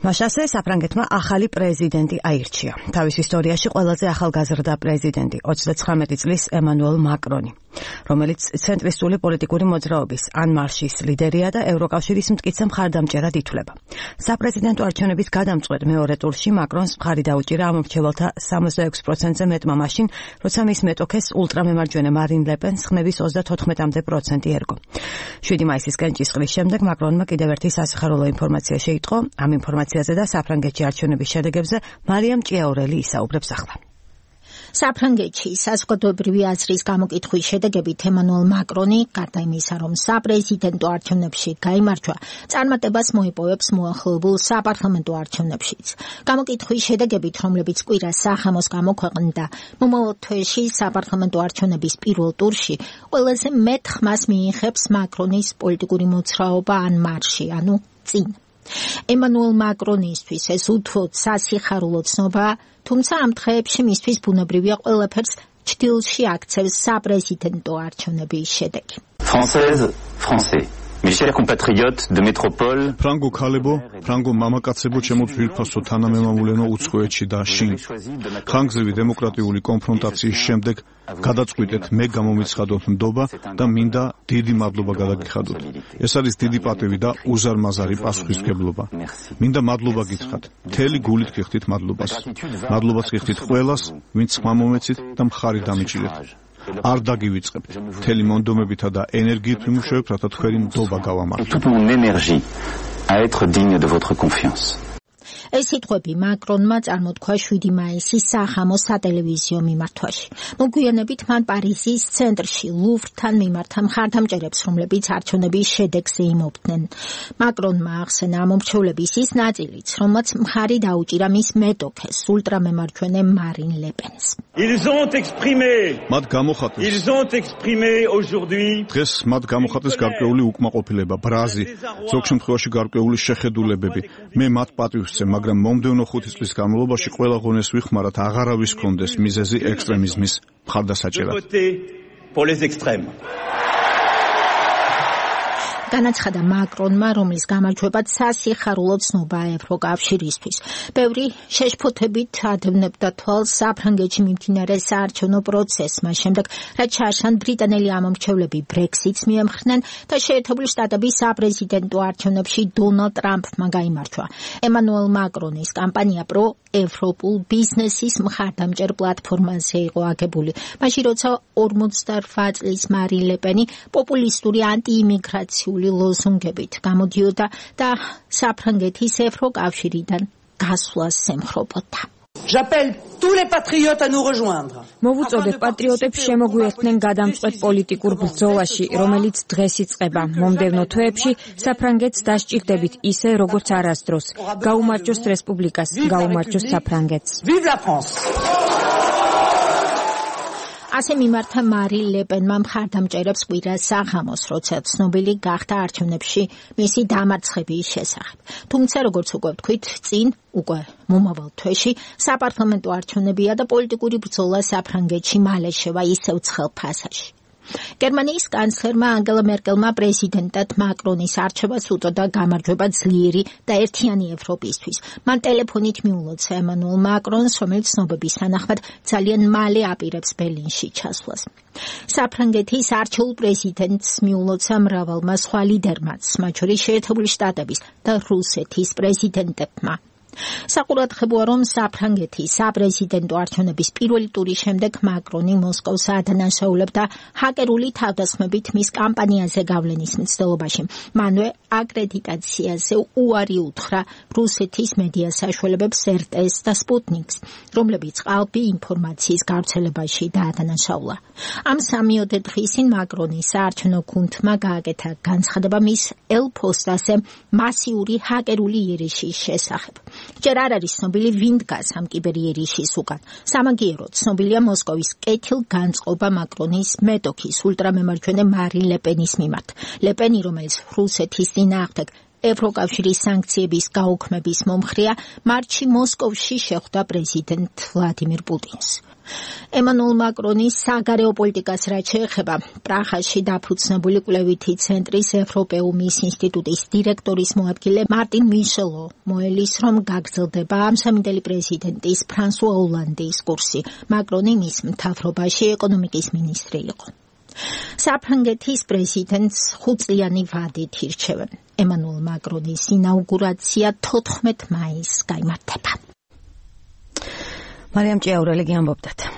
მაშასე საფრანგეთმა ახალი პრეზიდენტი აირჩია. თავის ისტორიაში ყველაზე ახალგაზრდა პრეზიდენტი 39 წლის ემანუელ მაკრონი, რომელიც ცენტრისტული პოლიტიკური მოძრაობის ან მარშის ლიდერია და ევროკავშირის მტკიცე მხარდამჭერად ითვლება. საპრეზიდენტო არჩევნების გადამწყვეტ მეორე ტურში მაკრონს მხარი დაუჭირა ამომრჩეველთა 66%-ზე მეტმა მაშინ, როცა მის მეტოქეს ულტრამემარჯვენე მარინ ლეპენს ხმების 34%-ამდე ერგო. 7 მაისის კენჭისყრის შემდეგ მაკრონმა კიდევ ერთი სასიხარულო ინფორმაცია შეიტყო. ამ ინფორმაციაზე და საფრანგეთში არჩევნების შედეგებზე მარიამ ჭიაურელი ისაუბრებს ახლა. საფრანგეთში საზოგადოებრივი აზრის გამოკითხვის შედეგებით ემანუელ მაკრონი, გარდა იმისა, რომ საპრეზიდენტო არჩევნებში გაიმარჯვა, წარმატებას მოიპოვებს მოახლოებულ საპარლამენტო არჩევნებშიც. გამოკითხვის შედეგებით, რომლებიც კვირას სახამოს გამოქვეყნდა, მომავალ თვეში საპარლამენტო არჩევნების პირველ ტურში ყველაზე მეტ ხმას მიიღებს მაკრონის პოლიტიკური მოძრაობა ან მარში, ანუ წინ. ემანუელ მაკრონისთვის ეს უთუოდ სასიხარულო ცნობაა, თუმცა ამ დღეებში მისთვის ბუნებრივია ყველაფერს ჭდილში აქცევს საპრეზიდენტო არჩევნების შედეგი. Mes chers compatriotes de métropole, ფრანგო ქალებო, ფრანგო მამაკაცებო, ჩემო ძვირფასო თანამემამულენო უცხოეთში და შინ. ხანგრძლივი დემოკრატიული კონფრონტაციის შემდეგ გადაწყვიტეთ მე გამომიცხადოთ ნდობა და მინდა დიდი მადლობა გადაგიხადოთ. ეს არის დიდი პატივი და უზარმაზარი პასუხისმგებლობა. მინდა მადლობა გითხრათ. მთელი გულით გიხდით მადლობას. მადლობას გიხდით ყველას, ვინც ხმა მომეცით და მხარი დამიჭირეთ. არ დაგივიწყებთ. მთელი მონდომებითა და ენერგიით ვიმუშავებ, რათა თქვენი ნდობა გავამართლოთ. toute mon énergie à être digne de votre confiance. ეს სიტყვები მაკრონმა წარმოთქვა 7 მაისის სახამოს სატელევიზიო მიმართვაში. მოგვიანებით მან პარიზის ცენტრში ლუვრთან მიმართა მხარდამჭერებს, რომლებიც არჩევნების შედეგზე იმობდნენ. მაკრონმა ახსენა ამომრჩევლების ის ნაწილიც, რომელმაც მხარი დაუჭირა მის მეტოქეს, ულტრამემარჯვენე მარინ ლეპენს. მათ გამოხატეს გარკვეული უკმაყოფილება, ბრაზი, ზოგ შემთხვევაში გარკვეული შეხედულებები. მე მათ პატივს ვცემ, მაგრამ მომდევნო 5 წლის განმავლობაში ყველა ღონეს ვიხმარათ აღარავის კონდეს მიზეზი ექსტრემიზმის მხარდასაჭერად. განაცხადა მაკრონმა, რომლის გამარჯვებაც სასიხარულო ცნობაა ევროკავშირისთვის. ბევრი შეშფოთებით ადევნებდა თვალს საფრანგეთში მიმდინარე საარჩევნო პროცესს, მას შემდეგ, რაც ჩააშან ბრიტანელი ამომრჩევლები ბრექსიტს მიემხრნენ და შეერთებული შტატების საპრეზიდენტო არჩევნებში დონალდ ტრამპმა გაიმარჯვა. ემანუელ მაკრონის კამპანია პრო ევროპულ ბიზნესის მხარდამჭერ პლატფორმაზე იყო აგებული. მაშინ როცა 48 წლის მარინ ლეპენი პოპულისტური ანტიიმიგრაციული ლოზუნგებით გამოდიოდა და საფრანგეთის ევროკავშირიდან გასვლას ემხრობოდა. მოვუწოდებ პატრიოტებს შემოგვიერთდნენ გადამწყვეტ პოლიტიკურ ბრძოლაში, რომელიც დღეს იწყება. მომდევნო თვეებში საფრანგეთს დასჭირდებით ისე, როგორც არასდროს. გაუმარჯოს რესპუბლიკას, გაუმარჯოს საფრანგეთს. ასე მიმართა მარინ ლეპენმა მხარდამჭერებს კვირას სახამოს, როცა ცნობილი გახდა არჩევნებში მისი დამარცხების შესახებ. თუმცა, როგორც უკვე ვთქვით, წინ უკვე მომავალ თვეში საპარლამენტო არჩევნებია და პოლიტიკური ბრძოლა საფრანგეთში მალე შევა ისევ ცხელ ფასაში. გერმანიის კანცლერმა ანგელა მერკელმა პრეზიდენტად მაკრონის არჩევას უტოდა გამარჯვება ძლიერი და ერთიანი ევროპისთვის. მან ტელეფონით მიულოცა ემანუელ მაკრონს, რომელიც ცნობების თანახმად ძალიან მალე აპირებს ბერლინში ჩასვლას. საფრანგეთის არჩეულ პრეზიდენტს მიულოცა მრავალმა სხვა ლიდერმაც, მათ შორის შეერთებული შტატების და რუსეთის პრეზიდენტებმა. საყურადღებოა, რომ საფრანგეთის საპრეზიდენტო არჩევნების პირველი ტურის შემდეგ მაკრონი მოსკოვს ადანაშაულებდა ჰაკერული თავდასხმებით მის კამპანიაზე გავლენის მცდელობაში. მანვე აკრედიტაციაზე უარი უთხრა რუსეთის მედია საშუალებებს RT-ს და Sputnik-ს, რომლებიც ყალბი ინფორმაციის გავრცელებაში დაადანაშაულა. ამ 3 დღის წინ მაკრონის საარჩევნო გუნდმა გააკეთა განცხადება მის ელ-ფოსტაზე მასიური ჰაკერული იერიშის შესახებ. ჯერ არ არის ცნობილი ვინ დგას ამ კიბერიერიშის უკან. სამაგიეროდ ცნობილია მოსკოვის კეთილგანწყობა მაკრონის მეტოქის ულტრამემარჯვენე მარინ ლეპენის მიმართ. ლეპენი, რომელიც რუსეთის წინააღმდეგ ევროკავშირის სანქციების გაუქმების მომხრეა, მარტში მოსკოვში შეხვდა პრეზიდენტ ვლადიმირ პუტინს. ემანუელ მაკრონის საგარეო პოლიტიკას რაც შეეხება, პრაღაში დაფუძნებული კვლევითი ცენტრის ევროპეუმის ინსტიტუტის დირექტორის მოადგილე მარტინ მიშელო მოელის, რომ გაგრძელდება ამსამინდელი პრეზიდენტის ფრანსუა ოლანდის კურსი. მაკრონი მის მთავრობაში ეკონომიკის მინისტრი იყო. საფრანგეთის პრეზიდენტს 5 წლიანი ვადით ირჩევენ. ემანუელ მაკრონის ინაუგურაცია 14 მაისს გაიმართება. მარიამ ჭიაურელი ამბობდათ.